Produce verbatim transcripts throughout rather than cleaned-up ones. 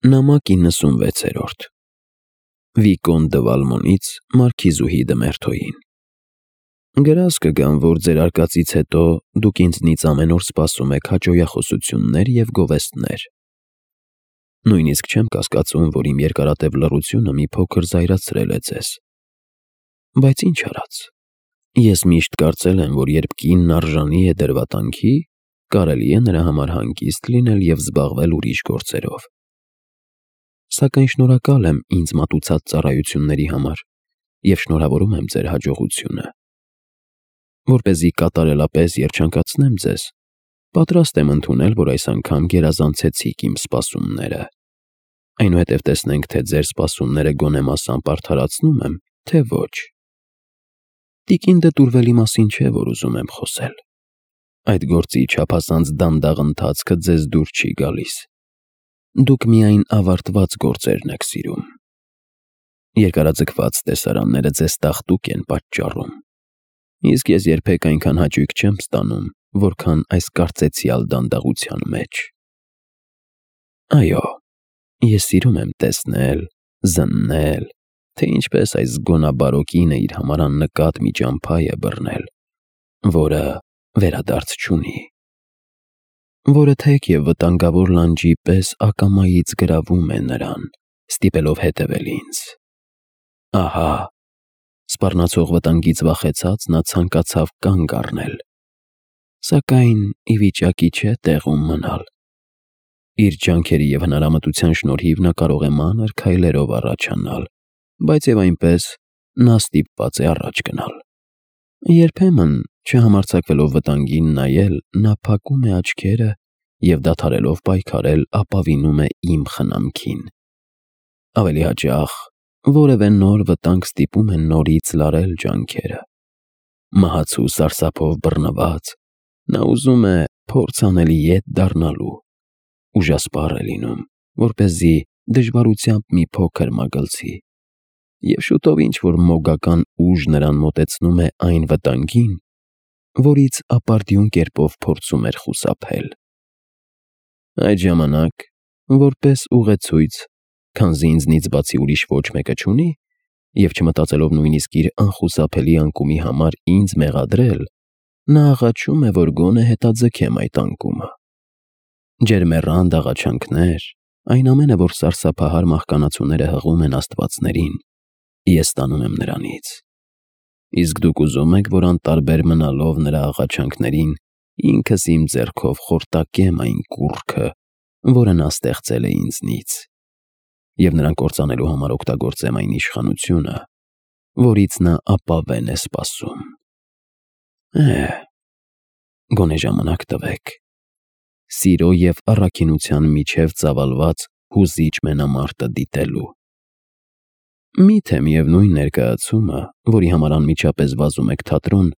Նամակ իննսունվեցերորդ Վիկոն դը Վալմոնից Մարքիզուհի դը Մերթոյին Գրազ կգամ, որ ձեր արկածից հետո դուք ինձնից ամեն օր սպասում եք հաճոյախոսություններ և գովեստներ։ Նույնիսկ չեմ կասկածում, որ իմ երկարատև լռությունը մի փոքր զայրացրել է ձեզ։ Բայց ինչ արած։ Ես միշտ կարծել եմ, որ երբ կինն արժանի է դրվատանքի, կարելի է նրա համար հանգիստ լինել և զբաղվել ուրիշ գործերով։ Սակայն շնորհակալ եմ ինձ մատուցած ծառայությունների համար և շնորհավորում եմ ձեր հաջողությունը։ Որպեսզի կատարելապես երջանկացնեմ ձեզ, պատրաստ եմ ընդունել, որ այս անգամ գերազանցեցիք իմ սպասումները։ Այնուհետև տեսնենք, թե ձեր սպասումները գոնե մասամբ արդարացնում եմ, թե ոչ։ Տիկին դը Տուրվելի մասին չէ, որ ուզում եմ խոսել։ Այդ գործի չափազանց դանդաղ ընթացքը ձեզ դուր չի գալիս։ Դուք միայն ավարտված գործերն եք սիրում։ Երկարաձգված տեսարանները ձեզ տաղտուկ են պատճառում։ Իսկ ես երբեք այնքան հաճույք չեմ ստանում, որքան այս կարծեցյալ դանդաղության մեջ։ Այո, ես սիրում եմ տեսնել, զննել, թե ինչպես այս զգոնաբարո կինը իր համար աննկատ մի ճամփա է բռնել, որը վերադարձ չունի, որը թեք և վտանգավոր լանջի պես ակամայից գրավում է նրան, ստիպելով հետևել ինձ։ Ահա, սպառնացող վտանգից վախեցած նա ցանկացավ կանգ առնել, սակայն ի վիճակի չէ տեղում մնալ։ Իր ջանքերի և հնարամտության շնորհիվ նա կարող է մանր քայլերով առաջանալ, բայց և այնպես նա ստիպված է առաջ գնալ։ Երբեմն, չհամարձակվելով վտանգին նայել, նա փակում է աչքերը և դադարելով պայքարել ապավինում է իմ խնամքին։ Ավելի հաճախ, որևէ նոր վտանգ ստիպում է նորից լարել ջանքերը։ Մահացու սարսափով բռնված, նա ուզում է փորձ անելի ետ դառնալու, ուժասպառ է լինում, որպեսզի դժվարությամբ մի փոքր մագլցի, և շուտով ինչ-որ մոգական ուժ նրան մոտեցնում է այն վտանգին, որից ապարդյուն կերպով փորձում էր խուսափել։ Այդ ժամանակ, որպես ուղեցույց, քանզի ինձնից բացի ուրիշ ոչ մեկը չունի, և չմտածելով նույնիսկ իր անխուսափելի անկումի համար ինձ մեղադրել, նա աղաչում է, որ գոնե հետաձգեմ այդ անկումը։ Ջերմեռանդ աղաչանքներ, այն ամենը, որ սարսափահար մահկանացուները հղում են աստվածներին, ես ստանում եմ նրանից։ Իսկ դուք ուզում եք, որ անտարբեր մնալով նրա աղաչանքներին, ինքս իմ ձեռքով խորտակեմ այն կուռքը, որը նա ստեղծել է ինձնից, և նրան կործանելու համար օգտագործեմ այն իշխանությունը, որից նա ապավեն է սպասում։ Է՛հ, գոնե ժամանակ տվեք։ Սիրո և առաքինության միջև ծավալված հուզիչ մենամարտը դիտելու։ Մի՞թե միևնույն ներկայացումը, որի համար անմիջապես վազում եք թատրոն,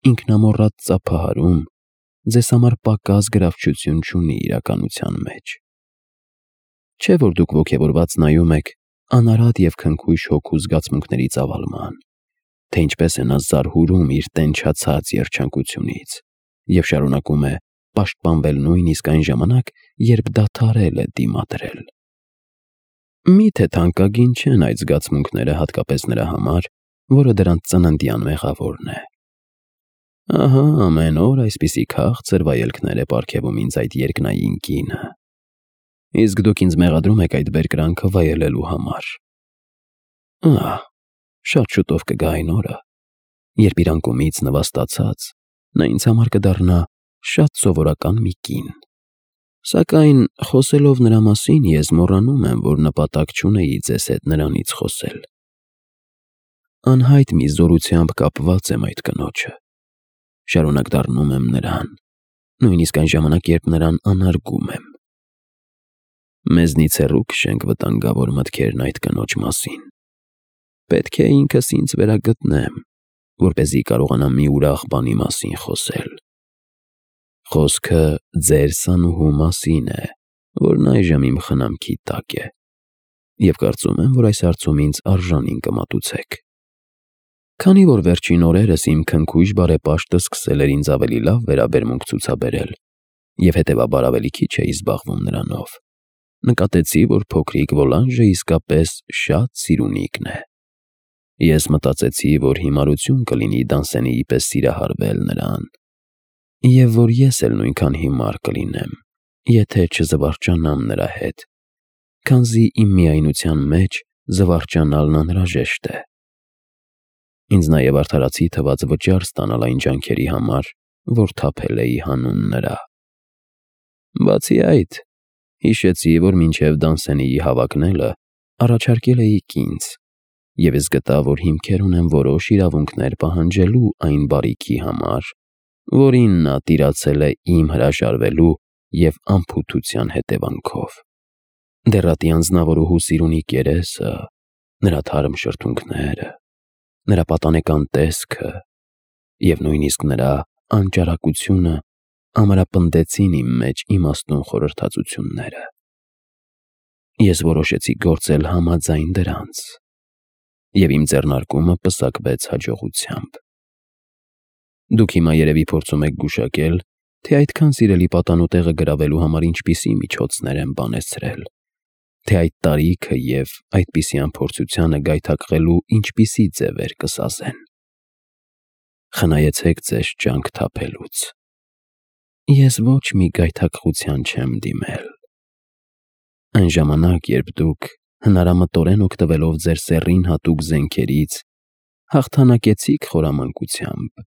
ինքնամոռատ ծափահարում, ձեզ համար պակաս գրավչություն չունի իրականության մեջ։ Չէ՞ որ դուք ոգևորված նայում եք անարատ և քնքուշ հոգու զգացմունքների ծավալման, թե ինչպես է նա զարհուրում իր տենչացած երջանկությունից և շարունակում է պաշտպանվել նույնիսկ այն ժամանակ, երբ դադարել է դիմադրել։ Մի՞թե թանկագին չեն այդ զգացմունքները հատկապես նրա համար, որը դրանց ծննդյան մեղավորն է։ Ահա ամեն օր այսպիսի քաղցր վայելքներ է պարգևում ինձ այդ երկնային կինը։ Իսկ դուք ինձ մեղադրում եք այդ բերկրանքը վայելելու համար։ Ահ, շատ շուտով կգա այն օրը, երբ իր անկումից նվաստացած, նա ինձ համար կդառնա շատ սովորական մի կին։ Սակայն խոսելով նրա մասին, ես մոռանում եմ, որ նպատակ չունեի ձեզ հետ նրանից խոսել։ Անհայտ մի զորությամբ կապված եմ այդ կնոջը։ Շարունակ դառնում եմ նրան, նույնիսկ այն ժամանակ, երբ նրան անարգում եմ։ Մեզնից հեռու քշենք վտանգավոր մտքերն այդ կնոջ մասին։ Պետք է ինքս ինձ վերագտնեմ, որպեսզի կարողանամ մի ուրախ բանի մասին խոսել։ Խոսքը ձեր սանուհու մասին է, որն այժմ իմ խնամքի տակ է, և կարծում եմ, որ այս հարցում ինձ արժանին կմատուցեք։ Քանի որ վերջին օրերս իմ քնքուշ բարեպաշտը սկսել էր ինձ ավելի լավ վերաբերմունք ցուցաբերել, և հետևաբար ավելի քիչ էի զբաղվում նրանով, նկատեցի, որ փոքրիկ Վոլանժը իսկապես շատ սիրունիկն է։ Ես մտածեցի, որ հիմարություն կլինի Դանսենիի պես սիրահարվել նրան, և որ ես էլ նույնքան հիմար կլինեմ, եթե չզվարճանամ նրա հետ, քանզի իմ միայնության մեջ զվարճանալն անհրաժեշտ է։ Ինձ նաև արդարացի թվաց վճար ստանալ այն ջանքերի համար, որ թափել էի հանուն նրա։ Բացի այդ, հիշեցի, որ մինչև Դանսենիի հավակնելը առաջարկել էիք ինձ, և ես գտա, որ հիմքեր ունեմ որոշ իրավունքներ պահանջելու այն բարիքի համար, որին նա տիրացել է իմ հրաժարվելու և անփութության հետևանքով։ Դեռատի անձնավորուհու սիրունիկ երեսը, նրա թարմ շրթունքները, նրա պատանեկան տեսքը և նույնիսկ նրա անճարակությունը ամրապնդեցին իմ մեջ իմաստուն խորհրդածությունները։ Ես որոշեցի գործել համաձայն դրանց, և իմ ձեռնարկումը պսակվեց հաջողությամբ։ Դուք հիմա երևի փորձում եք գուշակել, թե այդքան սիրելի պատանու տեղը գրավելու համար ինչպիսի միջոցներ եմ բանեցրել, թե այդ տարիքը և այդպիսի անփորձությանը գայթակղելու ինչպիսի ձևեր կսազեն։ Խնայեցեք ձեզ ջանք թափելուց։ Ես ոչ մի գայթակղության չեմ դիմել։ Այն ժամանակ, երբ դուք հնարամտորեն օգտվելով ձեր սեռին հատուկ զենքերից հաղթանակեցիք խորամանկությամբ,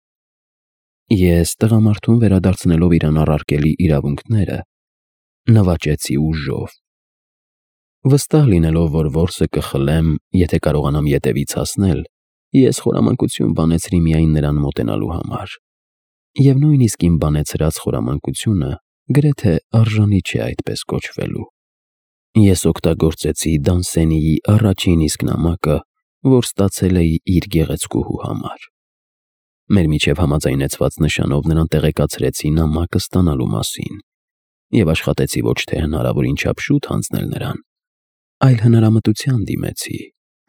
ես տղամարդուն վերադարձնելով իրան առարկելի իրավունքները, նվաճեցի ուժով։ Վստահ լինելով, որ որսը կխլեմ, եթե կարողանամ ետևից հասնել, ես խորամանկություն բանեցրի միայն նրան մոտենալու համար, և նույնիսկ իմ բանեցրած խորամանկությունը գրեթե արժանի չէ այդպես կոչվելու։ Ես օգտագործեցի Դանսենիի առաջին իսկ նամակը, որ ստացել էի իր գեղեցկուհու համար։ Մեր միջև համաձայնեցված նշանով նրան տեղեկացրեցի նամակը ստանալու մասին և աշխատեցի ոչ թե հնարավորին չափ շուտ հանձնել նրան, այլ հնարամտության դիմեցի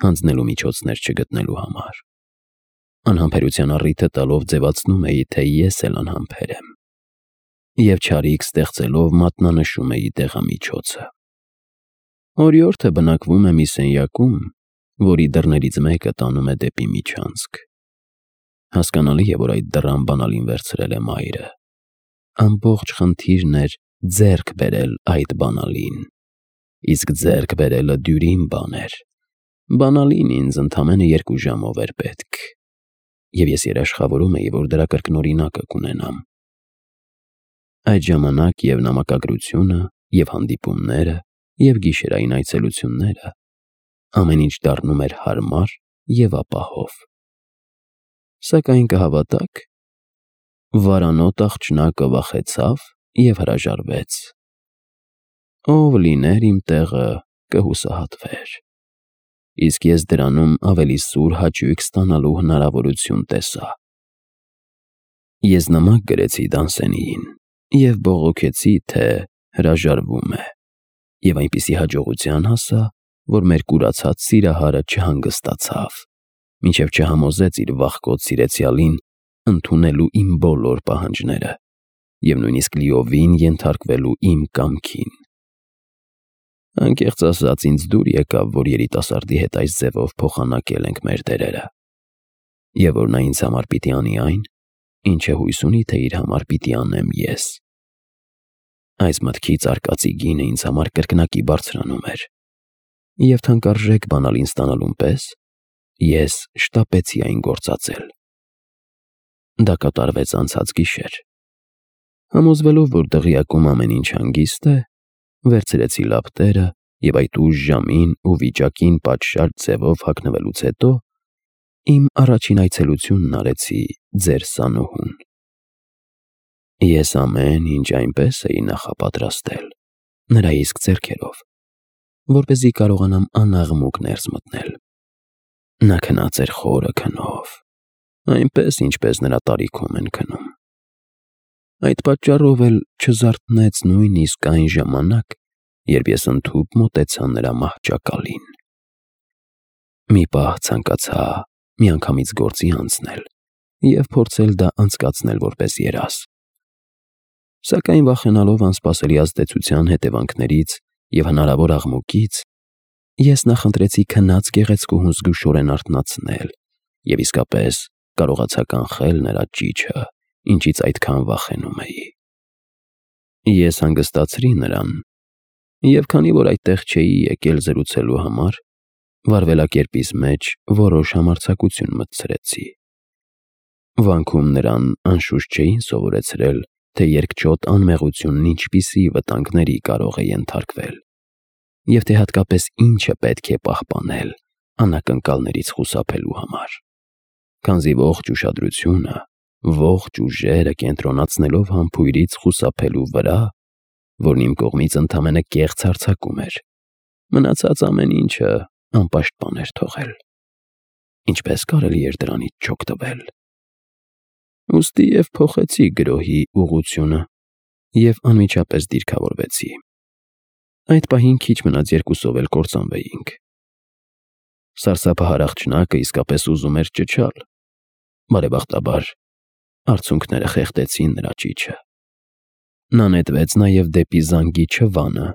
հանձնելու միջոցներ չգտնելու համար։ Անհամբերության առիթը տալով ձևացնում էի, թե ես էլ անհամբեր եմ, և չարիք ստեղծելով մատնանշում էի դեղամիջոցը։ Օրիորդը բնակվում է մի սենյակում, որի դռներից մեկը տանում է դեպի միջանցք։ Հասկանալի է, որ այդ դռան բանալին վերցրել է մայրը։ Ամբողջ խնդիրն էր ձեռք բերել այդ բանալին, իսկ ձեռք բերելը դյուրին բան էր։ Բանալին ինձ ընդամենը երկու ժամով էր պետք, և ես երաշխավորում էի, որ դրա կրկնօրինակը կունենամ։ Այդ ժամանակ և նամակագրությունը, և հանդիպումները, և գիշերային այցելությունները ամեն ինչ դառնում էր հարմար և ապահով։ Սակայն կհավատաք, վարանոտ աղջնակը վախեցավ և հրաժարվեց։ Ով լիներ իմ տեղը, կհուսահատվեր, իսկ ես դրանում ավելի սուր հաճույք ստանալու հնարավորություն տեսա։ Ես նամակ գրեցի Դանսենիին և բողոքեցի, թե հրաժարվում է, և այնպիսի հաջողության հասա, որ մեր կուրացած սիրահարը չհանգստացավ, մինչև չհամոզեց իր վախկոտ սիրեցյալին ընդունելու իմ բոլոր պահանջները և նույնիսկ լիովին ենթարկվելու իմ կամքին։ Անկեղծ ասած, ինձ դուր եկավ, որ երիտասարդի հետ այս ձևով փոխանակել ենք մեր դերերը, և որ նա ինձ համար պիտի անի այն, ինչը հույս ունի, թե իր համար պիտի անեմ ես։ Այս մտքից արկածի գինը ինձ համար կրկնակի բարձրանում էր, և թանկարժեք բանալին ստանալուն պես ես շտապեցի այն գործածել։ Դա կատարվեց անցած գիշեր։ Համոզվելով, որ դղյակում ամեն ինչ հանգիստ է, վերցրեցի լապտերը և այդ ուշ ժամին ու վիճակին պատշաճ ձևով հագնվելուց հետո իմ առաջին այցելությունն արեցի ձեր սանուհուն։ Ես ամեն ինչ այնպես էի նախապատրաստել, նրա իսկ ձեռքերով, որպեսզի կարողանամ անաղմուկ ներս մտնել։ Նա քնած էր խորը քնով, այնպես, ինչպես նրա տարիքում են քնում։ Այդ պատճառով էլ չզարթնեց նույնիսկ այն ժամանակ, երբ ես ընդհուպ մոտեցա նրա մահճակալին։ Մի պահ ցանկացա միանգամից գործի անցնել և փորձել դա անցկացնել որպես երազ։ Սակայն վախենալով անսպասելի ազդեցության հետևանքներից, և հնարավոր աղմուկից ես նախընտրեցի քնած գեղեցկուհուն զգուշորեն արթնացնել և իսկապես կարողացա կանխել նրա ճիչը, ինչից այդքան վախենում էի։ Ես հանգստացրի նրան, և քանի որ այդտեղ չէի եկել զրուցելու համար, վարվելակերպիս մեջ որոշ համարձակություն մտցրեցի։ Վանքում նրան անշուշտ չէին սովորեցրել, թե երկչոտ անմեղությունն ինչպիսի վտանգների կարող է ենթարկվել, և թե հատկապես ինչը պետք է պահպանել անակնկալներից խուսափելու համար, քանզի ողջ ուշադրությունը, ողջ ուժերը կենտրոնացնելով համբույրից խուսափելու վրա, որն իմ կողմից ընդամենը կեղծ հարձակում էր, մնացած ամեն ինչը անպաշտպան էր թողել։ Ինչպես կարելի էր դրանից չօգտվել։ Ուստի և փոխեցի գրոհի ուղղությունը և անմիջապես դիրքավորվեցի։ Այդ պահին քիչ մնաց երկուսով էլ կործանվեինք։ Սարսափահար աղջնակը իսկապես ուզում էր ճչալ։ Բարեբախտաբար, արցունքները խեղդեցին նրա ճիչը։ Նա նետվեց նաև դեպի զանգի չվանը,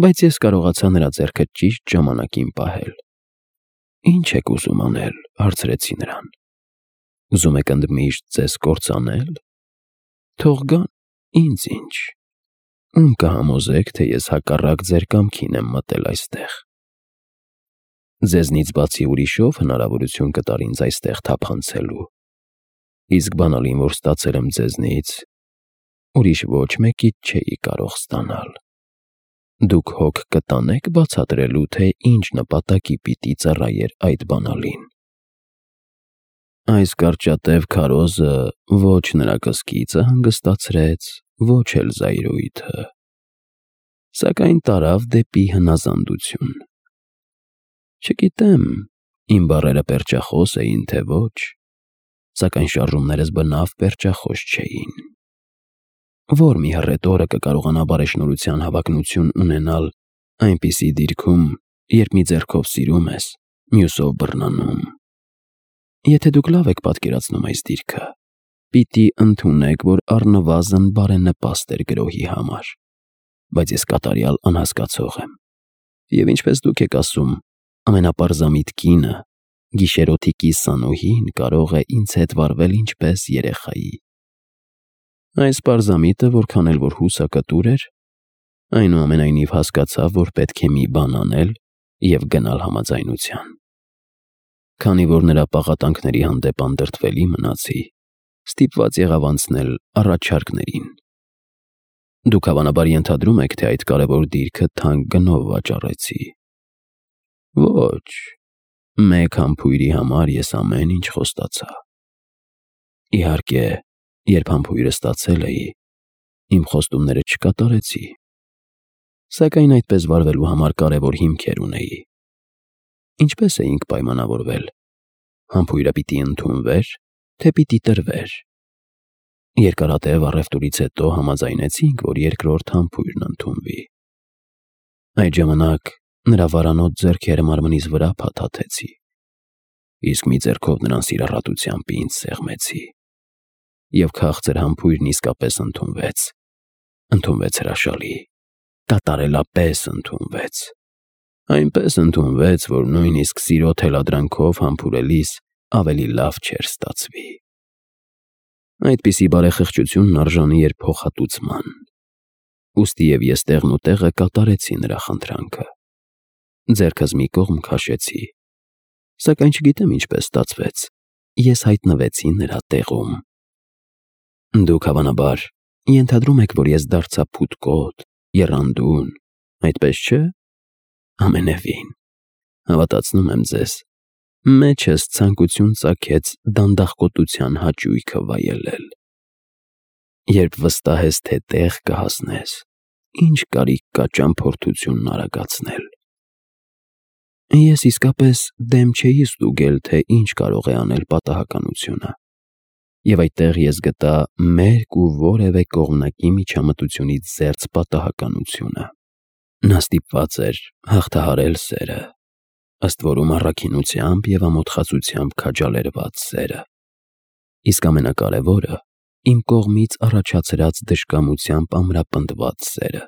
բայց ես կարողացա նրա ձեռքը ճիշտ ժամանակին պահել։ «Ի՞նչ եք ուզում անել», հարցրեցի նրան։ «Ուզում եք ընդմիշտ ձեզ կործանել։ Թող գան, ինձ ինչ։ Ում կհամոզեք, թե ես հակառակ ձեր կամքին եմ մտել այստեղ։ Ձեզնից բացի ուրիշով հնարավորություն կտար ինձ այստեղ թափանցելու, իսկ բանալին, որ ստացել եմ ձեզնից, ուրիշ ոչ մեկից չէի կարող ստանալ։ Դուք հոգ կտանե՞ք բացատրելու, թե ինչ նպատակի պիտի ծառայեր այդ բանալին»։ Այս կարճատև քարոզը ոչ նրա կսկիծը հանգստացրեց, ոչ էլ զայրույթը, սակայն տարավ դեպի հնազանդություն։ Չգիտեմ, իմ բառերը պերճախոս էին, թե ոչ, սակայն շարժումներս բնավ պերճախոս չէին։ Ո՞ր մի հռետորը կկարողանա բարեշնորհության հավակնություն ունենալ այնպիսի դիրքում, երբ մի ձեռքով սիրում ես, մյուսով բռնանում։ Եթե դուք լավ եք պատկերացնում այս դիրքը, պիտի ընդունեք, որ առնվազն բարենպաստ էր գրոհի համար, բայց ես կատարյալ անհասկացող եմ, և ինչպես դուք եք ասում, ամենապարզամիտ կինը, գիշերօթիկի Սանուհին կարող է ինձ հետ վարվել ինչպես երեխայի։ Այս պարզամիտը, որքան էլ որ հուսակտուր էր, այնուամենայնիվ հասկացավ, որ պետք է մի բան անել և գնալ համաձայնության։ Քանի որ նրա պաղատանքների հանդեպ անդրդվելի մնացի, ստիպված եղավ անցնել առաջարկներին։ Դուք հավանաբար ենթադրում եք, թե այդ կարևոր դիրքը թանկ գնով վաճառեցի։ Ոչ, մեկ համբույրի համար ես ամեն ինչ խոստացա։ Իհարկե, երբ համբույրը ստացել էի, իմ խոստումները չկատարեցի, սակայն այդպես վարվելու համար կարևոր հիմքեր ունեի։ Ինչպես էինք պայմանավորվել։ Համբույրը պիտի ընդունվեր, թե պիտի տրվեր։ Երկարատև առևտուրից հետո համաձայնեցինք, որ երկրորդ համբույրն ընդունվի։ Այդ ժամանակ նրա վարանոտ ձեռքերը մարմնիս վրա փաթաթեցի, իսկ մի ձեռքով նրան սիրառատությամբ ինձ սեղմեցի, և քաղցր համբույրն իսկապես ընդունվեց։ Ընդունվեց հրաշալի, կատարելապես ընդունվեց։ Այնպես ընդունվեց, որ նույնիսկ սիրո թելադրանքով համբուրելիս ավելի լավ չէր ստացվի։ Այդպիսի բարեխղճությունն արժանի էր փոխհատուցման։ Ուստի և ես տեղն ու տեղը կատարեցի նրա խնդրանքը։ Ձեռքս մի կողմ քաշեցի, սակայն չգիտեմ ինչպես ստացվեց, ես հայտնվեցի նրա տեղում։ Դուք հավանաբար ենթադրում եք, որ ես դարձա փութկոտ, եռանդուն, այդպես չէ՞։ Ամենևին, հավատացնում եմ ձեզ, մեջս ցանկություն ծագեց դանդաղկոտության հաճույքը վայելել։ Երբ վստահ ես, թե տեղ կհասնես, ինչ կարիք կա ճամփորդությունն արագացնել։ Ես իսկապես դեմ չէի ստուգել, թե ինչ կարող է անել պատահականությունը, և այդտեղ ես գտա մերկ ու որևէ կողմնակի միջամտությունից զերծ պատահականությունը։ Նա ստիպված էր հաղթահարել սերը, ըստ որում առաքինությամբ և ամոթխածությամբ քաջալերված սերը, իսկ ամենակարևորը՝ իմ կողմից առաջացրած դժկամությամբ ամրապնդված սերը։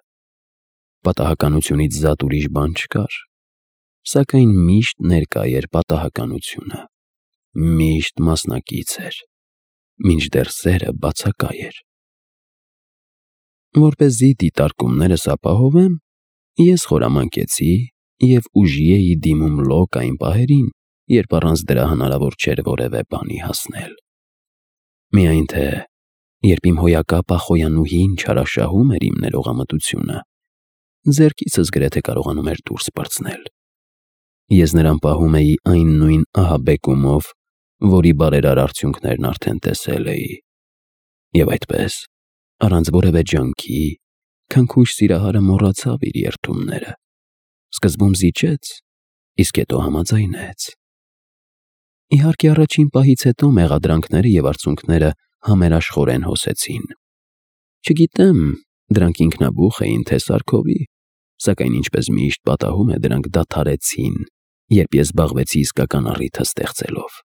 Պատահականությունից զատ ուրիշ բան չկար, սակայն միշտ ներկա էր պատահականությունը, միշտ մասնակից էր, մինչդեռ սերը բացակայ էր։ Որպեսզի դիտարկումներս ապահովեմ, ես խորամանկեցի և ուժի էի դիմում լոկ այն պահերին, երբ առանց դրա հնարավոր չէր որևէ բանի հասնել։ Միայն թե երբ իմ հոյակապ ախոյանուհին չարաշահում էր իմ ներողամտությունը, ձեռքիցս գրեթե կարողանում էր դուրս պրծնել։ Ես նրան պահում էի այն նույն ահաբեկումով, որի բարերար արդյունքներն արդեն տեսել էի, և այդպես, առանց որևէ ջանքի, քնքուշ սիրահարը մոռացավ իր երդումները, սկզբում զիջեց, իսկ հետո համաձայնեց։ Իհարկե, առաջին պահից հետո մեղադրանքները և արցունքները համերաշխորեն հոսեցին։ Չգիտեմ, դրանք ինքնաբուխ էին, թե սարքովի, սակայն ինչպես միշտ պատահում է, դրանք դադարեցին, երբ ես զբաղվեցի իսկական առիթը ստեղծելով։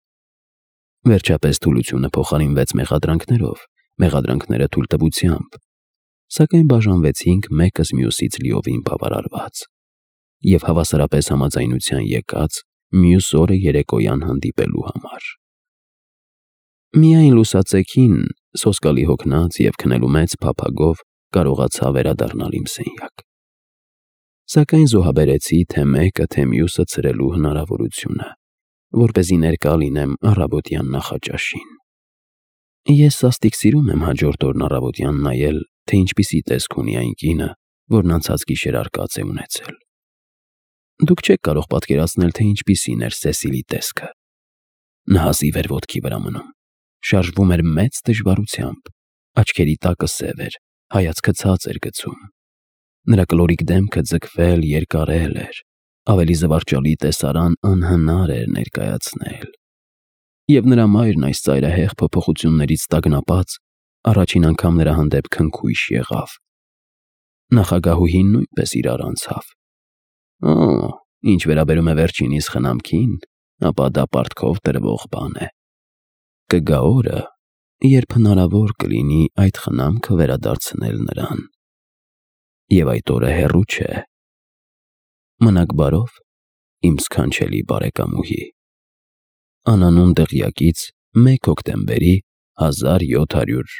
Վերջապես թուլությունը փոխարինվեց մեղադրանքներով, մեղադրանքները թույլտվությամբ, սակայն բաժանվեցինք մեկս մյուսից լիովին բավարարված և հավասարապես համաձայնության եկած մյուս օրը երեկոյան հանդիպելու համար։ Միայն լուսացեքին, սոսկալի հոգնած և քնելու մեծ փափագով կարողացա վերադառնալ իմ սենյակ։ Սակայն զոհաբերեցի թե մեկը, թե մյուսը ցրելու հնարավորությունը, որպեսզի ներկա լինեմ առավոտյան նախաճաշին։ Ես սաստիկ սիրում եմ հաջորդ օրն առավոտյան նայել, թե ինչպիսի տեսք ունի այն կինը, որն անցած գիշեր արկած է ունեցել։ Դուք չեք կարող պատկերացնել, թե ինչպիսին էր Սեսիլի տեսքը։ Նա հազիվ էր ոտքի վրա մնում, շարժվում էր մեծ դժվարությամբ, աչքերի տակը սև էր, հայացքը ցած էր գցում։ Նրա կլորիկ դեմքը ձգվել, երկարել էր, ավելի զվարճալի տեսարան անհնար էր ներկայացնել։ Եվ նրա մայրն այս ծայրահեղ փոփոխություններից տագնապած, առաջին անգամ նրա հանդեպ քնքուշ եղավ։ Նախագահուհին նույնպես իրար անցավ։ Օ, ինչ վերաբերում է վերջինիս խնամքին, ապա դա պարտքով տրվող բան է։ Կգա օրը, երբ հնարավոր կլինի այդ խնամքը վերադարձնել նրան։ Եվ այդ օրը հեռու չէ։ Մնաք բարով, իմ սքանչելի բարեկամուհի։ Անանուն դղյակից մեկ հոկտեմբերի հազար յոթ հարյուր